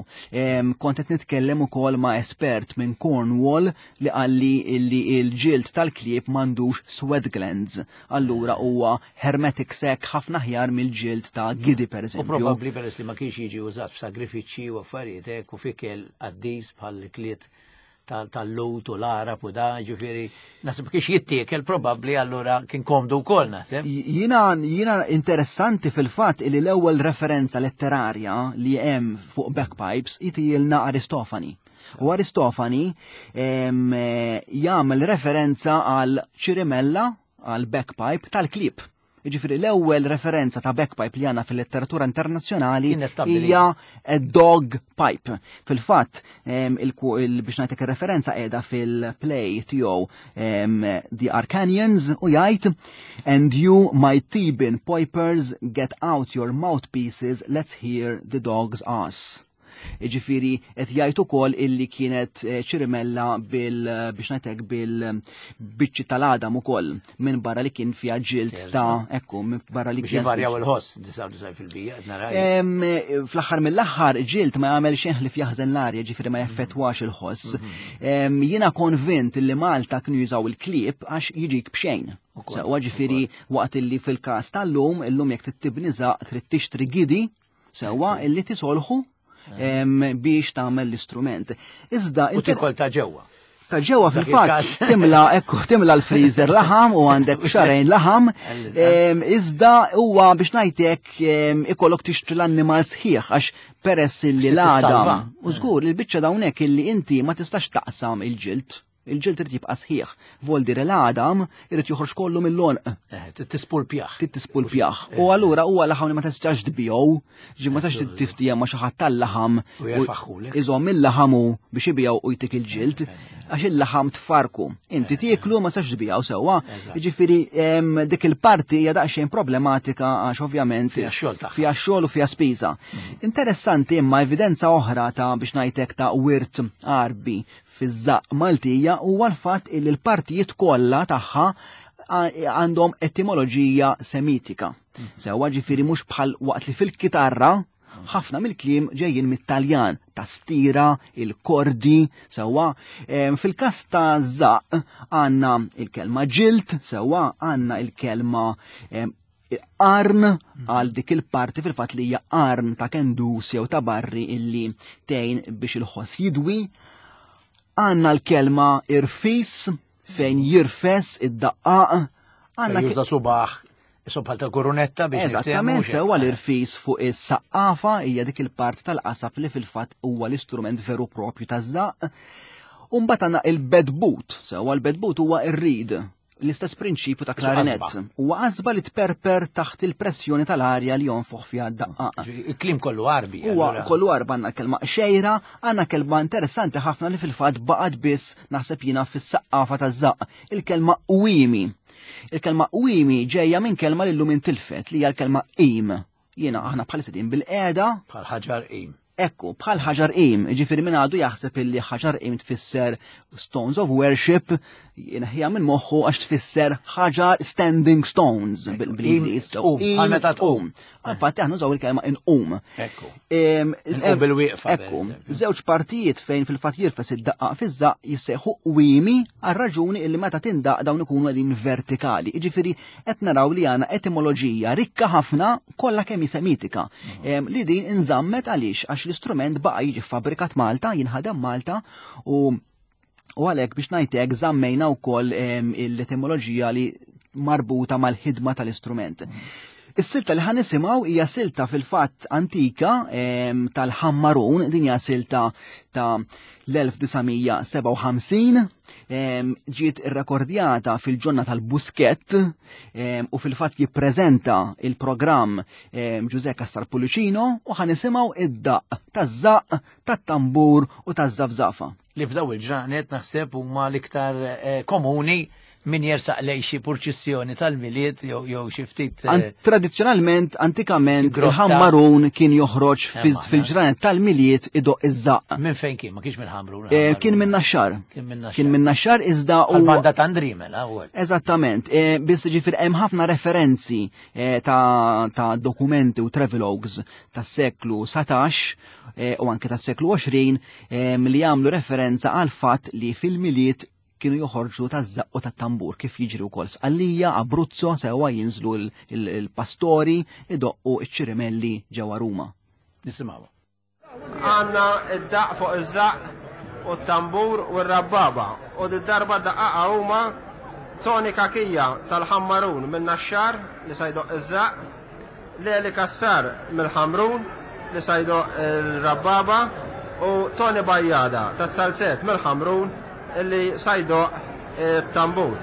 Kont qed nitkellem ukoll ma' espert minn Cornwall li qalli illi il-ġild tal-klieb m'għandux sweat glands, allura huwa hermetic sac ħafna aħjar mill-ġild ta' gidi pereżempju. U probabbli peress li ma kienx jiġi użat f'sagrifiċċji u affarijiet hekk u f'ikel qaddis bħal ikliet tal-lut u l-Arab u da, ġifieri, nasib kiex jittiekel probabbli allura kien komdu wkoll naħseb. Jiena jiena interessanti fil-fatt li l-ewwel referenza letterarja li hemm fuq bagpipes jtijilna Aristofani. U Aristofani jagħmel referenza għal ċirimella għal backpipe tal-klib. Jiġifieri l-ewwel referenza ta' backpipe li għandna fil-letteratura internazzjonali hija a dog pipe. Fil-fatt, biex ngħidlek ir-referenza qiegħda fil-play tiegħu The Arcanians u jgħid And you, my Theban pipers, get out your mouthpieces, let's hear the dog's ass. Ġifieri qed jgħid ukoll illi kienet eh, ċirimella bil biex ngħidlek bil-biċċi tal-għadam ukoll minn barra li kien fiha ġild ta' ekku minn barra li kien. Varjaw il-ħoss 99% qed nara. Fl-aħħar mill-aħħar ġild ma jagħmel xejn ħlief jaħżen l-arja, ġifieri ma jaffettwax il-ħoss. Mhm. Jiena konvint li Malta kienu jużaw il-klieb għax jiġik b'xejn. Sewwa ġifieri waqt illi fil-każ tal-lum, illum jekk trid żaq trid tixtri gidi sewwa illi tisolħu biex tagħmel l-istrument. Iżda u tikol ta' ġewwa. Ta' ġewwa fil-fatt timla ekku timla l-freezer laħam u għandek xarejn laħam. Iżda huwa biex ngħidlek ikollok tixtri l-annimal sħiħ għax peress illi l-għadam. U żgur il-biċċa dawnek illi inti ma tistax taqsam il-ġild. Il-ġild irid jibqa' sħiħ. Voldi l-għadam irid joħroġ kollu mill-għonq. Eh, tispulpjah. Tispulpjah. U eh. allura huwa laħam li ma tistax tbiegħu, ġi ma tistax tiftija ma xi ħadd tal-laħam. U jerfaħħulek. Iżomm il-laħam hu biex ibiegħu u jtik il-ġild, eh, għax il-laħam tfarku. Inti tieklu ma tistax tbiegħu sewwa. Jiġifieri dik il-parti hija daqsxejn problematika għax ovvjament fiha xogħol tagħha. Fiha xogħol u fiha spiża. Mm. Interessanti imma evidenza oħra ta' biex ngħidlek ta' wirt Arbi fiż-żaqq Maltija huwa l-fatt illi l-partijiet kollha tagħha għandhom etimoloġija semitika. Sewwa ġifieri mhux bħal waqt li fil-kitarra ħafna mill-kliem ġejjin mit-Taljan, tastira, il-kordi, sewwa. Fil-każ ta' żaqq għandna il-kelma ġilt, sewwa għandna il-kelma qarn għal dik il-parti fil-fatt li hija qarn ta' kendus jew ta' barri illi tgħin biex il-ħoss jidwi. Għandna l-kelma irfis fejn jirfes id-daqqaq. Għandna juża subaħ bħal ta' kurunetta biex Eżattament sewwa l-irfis fuq is-saqqafa hija dik il-parti tal-qasab li fil-fatt huwa l-istrument veru propju taż-żaqq. Umbagħad għandna il-bedbut, sewwa l-bedbut huwa r-rid L-istess prinċipju ta' klarinett. Huwa qasba li tperper taħt il-pressjoni tal-arja li jonfoħ fiha d-daqqa. Il-kliem kollu Għarbi. Huwa kollu Għarbi għandna kelma xejra, għandna kelma interessanti ħafna li fil-fatt baqgħet biss naħseb jiena fis-saqqafa taż-żaqq, il-kelma qwiemi. Il-kelma qwiemi ġejja minn kelma li llum intilfet li hija l-kelma qim. Jiena aħna bħalissa din bil-qiegħda. Bħal ħaġar qim. Ekku, bħal ħaġar qim, ġifieri min għadu jaħseb illi ħaġar qim tfisser stones of worship, jinħija minn moħħu għax tfisser ħaġar standing stones bil-Ingliż. Bħal meta tqum. Infatti aħna nużaw il-kelma inqum. Ekku. Inqum bil-wieqfa. Ekku, żewġ partijiet fejn fil-fatt jirfes id-daqqa fiż-żaq jissejħu qwiemi għal raġuni illi meta tindaq dawn ikunu qegħdin vertikali. Jiġifieri qed naraw li għandna etimoloġija rikka ħafna kollha kemm hi semitika. Mhm. Li din inżammet għaliex għax l-istrument baqa' jiġi fabbrikat Malta, jinħadem Malta u u għalhekk biex ngħidlek żammejna wkoll l-etimoloġija li marbuta mal-ħidma tal-istrument. Mhm. Is-silta li ħan nisimgħu hija silta fil-fatt antika tal-Ħammarun, din hija silta ta' l-1957 ġiet irrekordjata fil-ġonna tal-Buskett u fil-fatt jippreżenta il-programm Ġuże Cassar Pullicino u ħan nisimgħu id-daqq taż-żaqq, tat-tambur u taż-żafżafa. Li f'daw il-ġranet naħseb huma l-iktar eh, komuni min jersaq lej xi purċissjoni tal-Milied jew xi ftit. Eh, tradizzjonalment, antikament, il-ħammarun kien joħroġ fil-ġranet tal-Milied idoq iż-żaqq. Minn fejn kien? Ma kienx mill-Ħamrun. Eh, kien minn Naxxar. Kien minn Naxxar iżda u. Banda ta' Andrimela u. Eżattament, eh, biss ġifier hemm ħafna referenzi ta' dokumenti u travelogues tas-seklu 19 u anke tas-seklu 20 li jagħmlu referenza għal fatt li fil-Milied kienu joħorġu taż-żaqq u tat-tambur kif jiġri wkoll Sqallija, Abruzzo, sewwa jinżlu l-pastori idoqqu ċ-ċirimelli ġewwa Ruma. Nisimgħu. Għandna id-daqq fuq iż-żaqq u t-tambur u r-rabbaba u did-darba daqqaqa huma Tony Cachia tal-Ħammarun min-Naxxar li sa jdoqq iż-żaqq, Leli Cassar mill-Ħamrun li sa jdoqq il-rabbaba u Tony Bajada taz-Zalzett mill-Ħamrun li sa jdoqq it-tambur.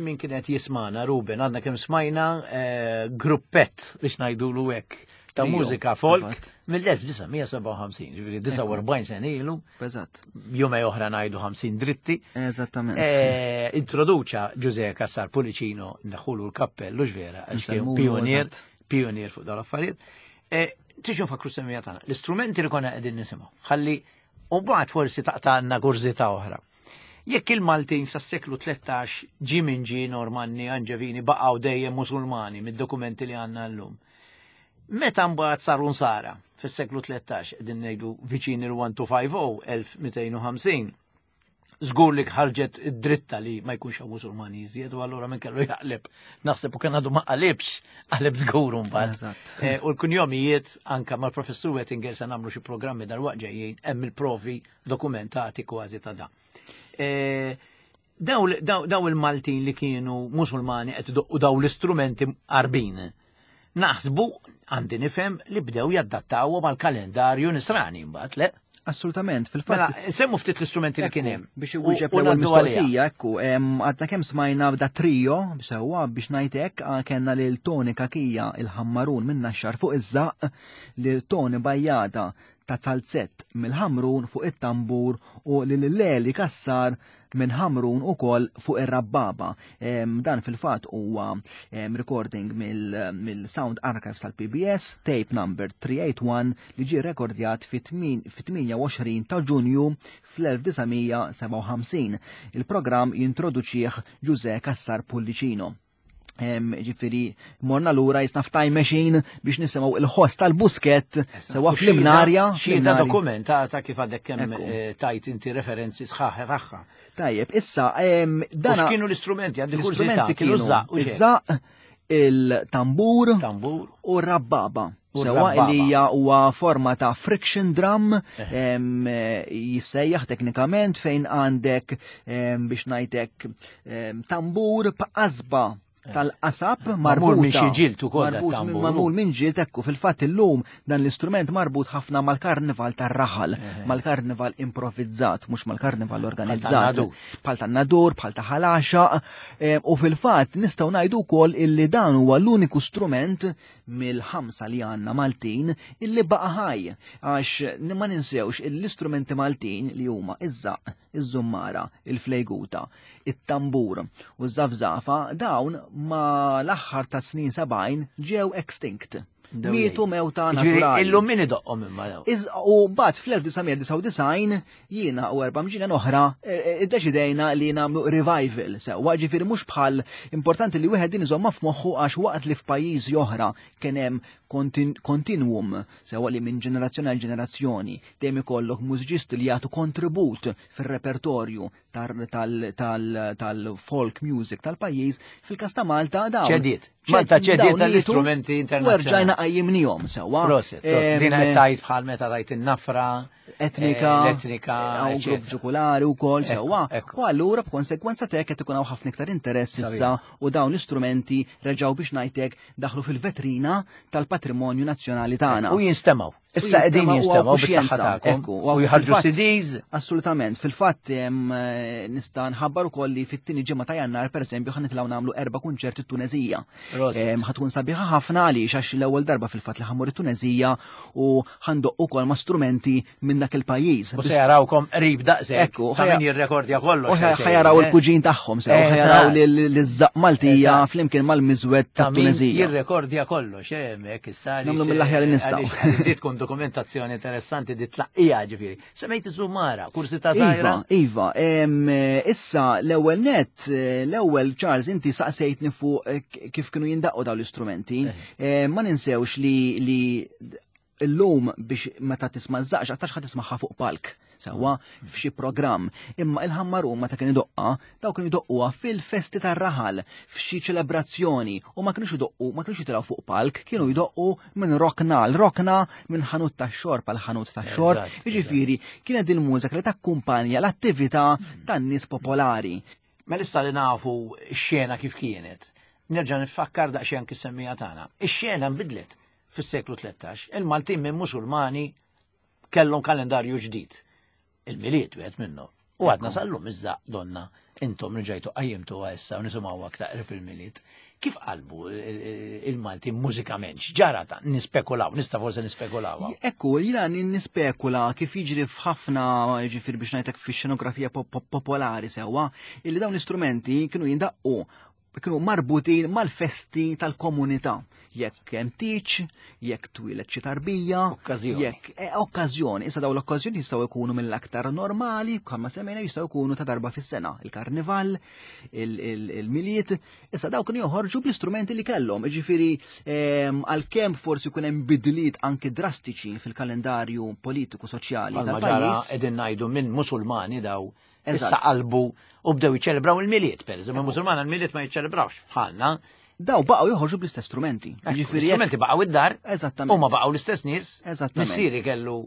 min kienet jismana, Ruben, għadna kemm smajna eh, gruppett biex ngħidulu hekk ta' mużika folk mill-1957, ġifieri 49 sena ilu. Eżatt. Jumej oħra ngħidu 50 dritti. Eżattament. Eh, introduċa Ġuże Kassar Pulicino neħulu l-kappellu ġvera, għax kien pionier, pionier fuq dal-affarijiet. Eh, Tixu nfakru semmija tagħna. L-istrumenti li konna qegħdin nisimgħu. Ħalli u mbagħad forsi taqta'lna kurżità oħra. Jekk il-Maltin sas-seklu 13 ġie min ġie Normanni, Anġevini baqgħu dejjem Musulmani mid-dokumenti li għandna llum. Meta mbagħad saru nsara fis-seklu 13 qegħdin ngħidu viċin il-1250, 1250, żgur li ħarġet id-dritta li ma jkunx hawn Musulmani iżjed u allura minn kellu jaqleb. Naħseb u kien għadu ma qalibx, qaleb żgur mbagħad. Eh, u l-kunjomijiet anka mal-professur Wettinger se nagħmlu xi programmi dal-waqt ġejjin hemm il-provi dokumentati kważi ta' da. E, daw il-Maltin li kienu musulmani qed idoqqu daw l-istrumenti qarbin. Naħsbu għandi nifhem li bdew jaddattawhom għal kalendarju nisrani mbagħad, le? Assolutament, fil-fatt. Mela, semmu ftit l-istrumenti li kien hemm. Biex iwieġeb l-ewwel mistoqsija, ekku, għadna kemm smajna da trio, sewwa biex ngħid hekk, kellna lil Tony Kakija il-ħammarun minn Naxxar fuq iż-żaqq, lil Tony Bajjada ta' Zalzett mill-Ħamrun fuq it-tambur u lil Leli Kassar minn Ħamrun ukoll fuq ir-rabbaba. Dan fil-fatt huwa recording mill-Sound Archives tal-PBS, tape number 381 li ġie rekordjat fit-28 ta' Ġunju fl-1957. Il-programm jintroduċih Ġuże Kassar Pullicino. Ġifieri, morna lura jisna f'time machine biex nisimgħu il-ħoss tal-busket sewa fl-imnarja. Xhieda dokumentata kif għadek kemm eh, tajt inti referenzi sħaħ tagħha. Tajjeb, issa dana. Kienu l-istrumenti għandi l-istrumenti kienu iż-żaq, il-tambur u r-rabbaba. Sewa li hija huwa forma ta' friction drum eh. jissejjaħ teknikament fejn għandek biex ngħidlek tambur b'qasba eh. tal-qasab marbut minn xi ġild ukoll magħmul minn ġild ekku fil-fatt illum dan l-istrument marbut ħafna mal-karnival tar-raħal, eh. mal-karnival improvvizzat, mhux mal-karnival organizzat. Bħal tan-nadur, bħal ta' ħalaxa, u fil-fatt nistgħu ngħidu wkoll illi dan huwa l-uniku strument mill-ħamsa li għandna Maltin illi baqa' ħaj għax ma ninsewx l-istrumenti Maltin li huma iż-żaq, iż-żummara, il-flejguta, it-tambur u ż-żafżafa dawn ma l-aħħar ta' snin 70 ġew extinct. Mietu mewta naturali. Illum min idoqqhom imma daw. U mbagħad fl-1999 jiena u erba' mġina oħra e, e, iddeċidejna li nagħmlu revival sewwa, ġifieri mhux bħal importanti li wieħed din iżomma f'moħħu għax waqt li f'pajjiżi oħra kien hemm kontinuum sewwa li minn ġenerazzjoni għal ġenerazzjoni dejjem ikollok mużiċisti li jagħtu kontribut fir-repertorju tal-folk music tal-pajjiż, fil-każ ta' Malta dawn. Ċediet. Malta ċediet tal-istrumenti internazzjonali. Erġajna qajjimnihom sewwa. Prosit, prosit. Dina qed tajt bħal meta tajt in-nafra. Etnika. Eh, l-etnika. Hawn grupp ġukulari wkoll sewwa. U allura b'konsegwenza t'hekk qed ikun hawn ħafna iktar interess issa u dawn l-istrumenti reġgħu biex ngħidlek daħlu fil-vetrina tal-patrimonju nazzjonali tagħna. U jinstemgħu. Issa qegħdin jinstemgħu bis-saħħa tagħkom. U jħarġu CDs. Assolutament. Fil-fatt eh, nista' nħabbar ukoll li fit-tieni ġimgħa ta' Jannar pereżempju ħa nitilgħu nagħmlu erba' kunċerti t-Tunezija. Ħa tkun sabiħa ħafna għaliex għax l-ewwel darba fil-fatt li ħammur it-Tunezija u ħandoq ukoll ma' strumenti minn dak il-pajjiż. U se jarawkom qrib daqshekk. Ekku, ta' min jirrekordja kollox. U ħajaraw eh? il-kuġin tagħhom sew, ħajaraw l-żaq Maltija flimkien mal-miżwed ta' Tunezija. Jirrekordja kollox, eh, hemmhekk issa. Nagħmlu mill-aħjar li nistgħu. Di tkun dokumentazzjoni interessanti di tlaqqija ġifieri. Semmejt iż-żumara, kursi ta' żgħira. Iva, iva, issa l-ewwel net, eh, l-ewwel Charles inti saqsejtni fuq eh, kif kienu jindaqqu dawn l-istrumenti. Ma ninsewx li illum biex meta tisma' żaqx aktarx ħa tismagħha fuq palk sewwa f'xi programm. Imma il-ħammarun meta kien idoqqa, daw kienu jdoqquha fil-festi tar-raħal, f'xi ċelebrazzjoni u ma kienux idoqqu, ma kienux jitilgħu fuq palk, kienu jdoqqu minn rokna għal rokna, minn ħanut tax-xorb għal ħanut tax-xorb. Jiġifieri kienet din il-mużika li takkumpanja l-attività tan-nies popolari. Mela issa li nafu x-xena kif kienet, nerġa' nifakkar daqsxejn anki s-semmija tagħna. Ix-xena nbidlet fis-seklu 13. Il-Maltin minn Musulmani kellhom kalendarju ġdid. Il-Milied wieħed minnhom. U għadna sal-lum iż-żaqq donna intom rġajtu qajjimtu issa u nisimgħu aktar qrib il-Milied. Kif qalbu il-Malti mużikament? X'ġara ta' nispekulaw, nista' forsi nispekulaw. Ekku, jiena nispekula kif jiġri f'ħafna ġifier biex ngħidlek fix-xenografija popolari sewwa, illi dawn l-istrumenti kienu jindaqqu kienu marbutin mal-festi tal-komunità. Jekk hemm tiċ, jekk twieled xi tarbija, okkażjoni. Jekk eh, okkażjoni, issa dawn l-okkażjoni jistgħu jkunu mill-aktar normali, bħalma semmejna jistgħu jkunu ta' darba fis-sena, il-karnival, il-miliet, issa dawn kienu joħorġu bl-istrumenti li kellhom, jiġifieri ehm, għalkemm forsi jkun hemm bidliet anki drastiċi fil-kalendarju politiku soċjali tal-pajjiż. Qegħdin ngħidu minn Musulmani daw Issa qalbu u bdew jiċċelebraw il-Milied, per eżempju, Musulmana l-Milied ma jiċċelebrawx bħalna. Daw baqgħu joħorġu bl-istess strumenti. Ġifieri strumenti baqgħu id-dar. Eżattament. Huma baqgħu l-istess nies. Eżattament. Missieri kellu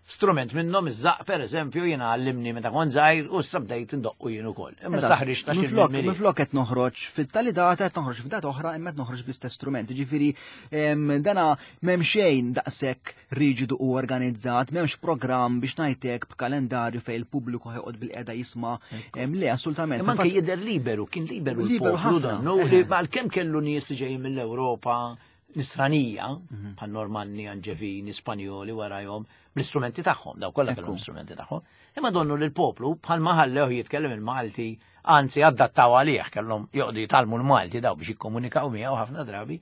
strument minnhom iż-żaq pereżempju jiena għallimni meta kont żgħir u issa bdejt indoqqu jien ukoll. Imma saħriġ ta' xi Minflok qed noħroġ fit-tali data qed noħroġ f'data oħra imma qed noħroġ bl-istess strument. Ġifieri dana m'hemm xejn daqshekk riġidu u organizzat, m'hemmx programm biex ngħidlek b'kalendarju fejn il-pubbliku ħjoqgħod bil-qeda jisma' le assolutament. Imma anke jidher liberu, kien liberu liberu ħafna. Li għalkemm kellu nies li ġejjin mill-Ewropa nisranija, mhm. bħal Normanni, Anġevini, Spanjoli warajhom, bl-istrumenti tagħhom, daw kollha kellhom istrumenti tagħhom. Imma donnu li l-poplu bħal ma ħallew jitkellem il-Malti, anzi adattaw għalih kellhom joqgħdu jitgħallmu l-Malti daw biex jikkomunikaw miegħu ħafna drabi.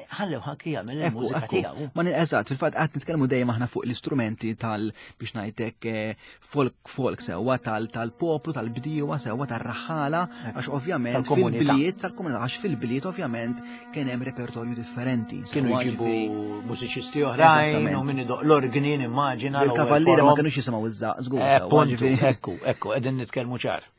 Ħallew ħanki jagħmel il-mużika tiegħu. Ma eżatt, fil-fatt qed nitkellmu dejjem aħna fuq l-istrumenti tal biex ngħidlek eh, folk folk sewwa tal-poplu, tal-bdiewa sewwa tar-raħħala, għax ovvjament fil-bliet tal-komunità, għax fil-bliet ovvjament kien hemm repertorju differenti. Kienu jġibu mużiċisti oħrajn u min idoq l-orgni nimmaġina. Il-kavalliera ma kinux jisimgħu iż-żaq, żgur. Eh, ekku, ekku, qegħdin nitkellmu ċar.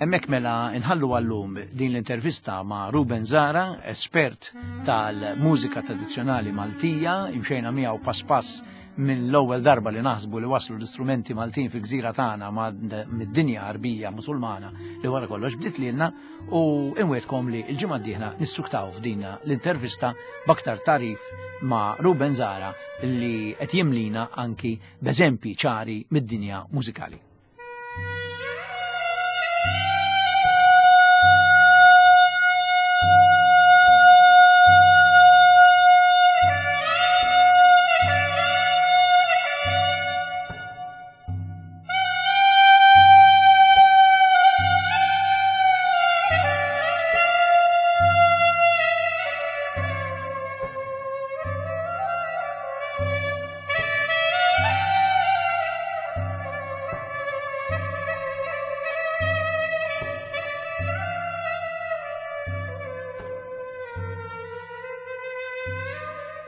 Hemmhekk mela nħallu għallum din l-intervista ma' Ruben Zara, espert tal-mużika tradizzjonali Maltija, imxejna miegħu pass pass minn l-ewwel darba li naħsbu li waslu l-istrumenti Maltin fil-gżira tagħna mid-dinja Għarbija Musulmana li wara kollox bdiet lilna u inwedkom li l-ġimgħa d-dieħla nissuktaw f'dina l-intervista b'aktar tarif ma' Ruben Zara li qed jimlina anki b'eżempji ċari mid-dinja mużikali.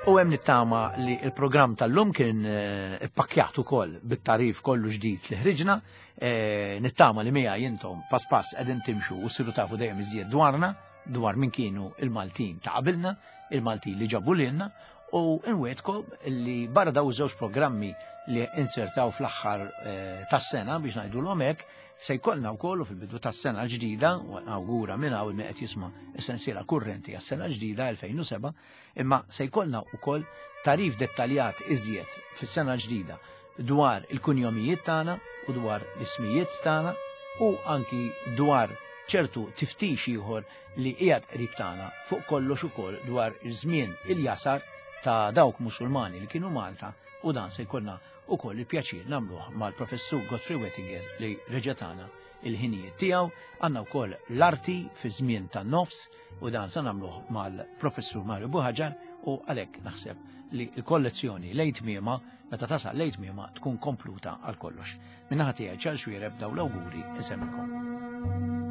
U hemm nittama li l-programm tal-lum kien eh, ippakkjat ukoll bit-tarif kollu ġdid li ħriġna, eh, nittama li miegħi intom pass pass qegħdin timxu u ssiru tafu dejjem iżjed dwarna, dwar min kienu il-Maltin ta' qabilna, il-Maltin li ġabu lilna, u nwietkom li barra daw żewġ programmi li insertaw fl-aħħar eh, tas-sena biex ngħidulhom hekk, se jkollna wkoll fil-bidu tas-sena l-ġdida, u awgura minn hawn min qed jisma' s-sensiela kurrenti għas-sena ġdida 2007, imma se jkollna wkoll tarif dettaljat iżjed fis-sena ġdida dwar il-kunjomijiet tagħna u dwar l-ismijiet tagħna u anki dwar ċertu tiftix ieħor li qiegħed qrib tagħna fuq kollox ukoll dwar iż-żmien il-jasar ta' dawk Musulmani li kienu Malta u dan se jkollna ukoll il-pjaċir nagħmluh mal-Professur Godfrey Wettinger li reġa' tana il-ħinijiet tiegħu. Għandna wkoll l-arti fi żmien tan-nofs u dan se nagħmluh mal-Professur Mario Buhaġar. U għalhekk naħseb li l-kollezzjoni lejn tmiema, meta tasal lejn tmiema tkun kompluta għal kollox. Min-naħa tiegħi Charles Xuereb daw l-awguri insemmilkom.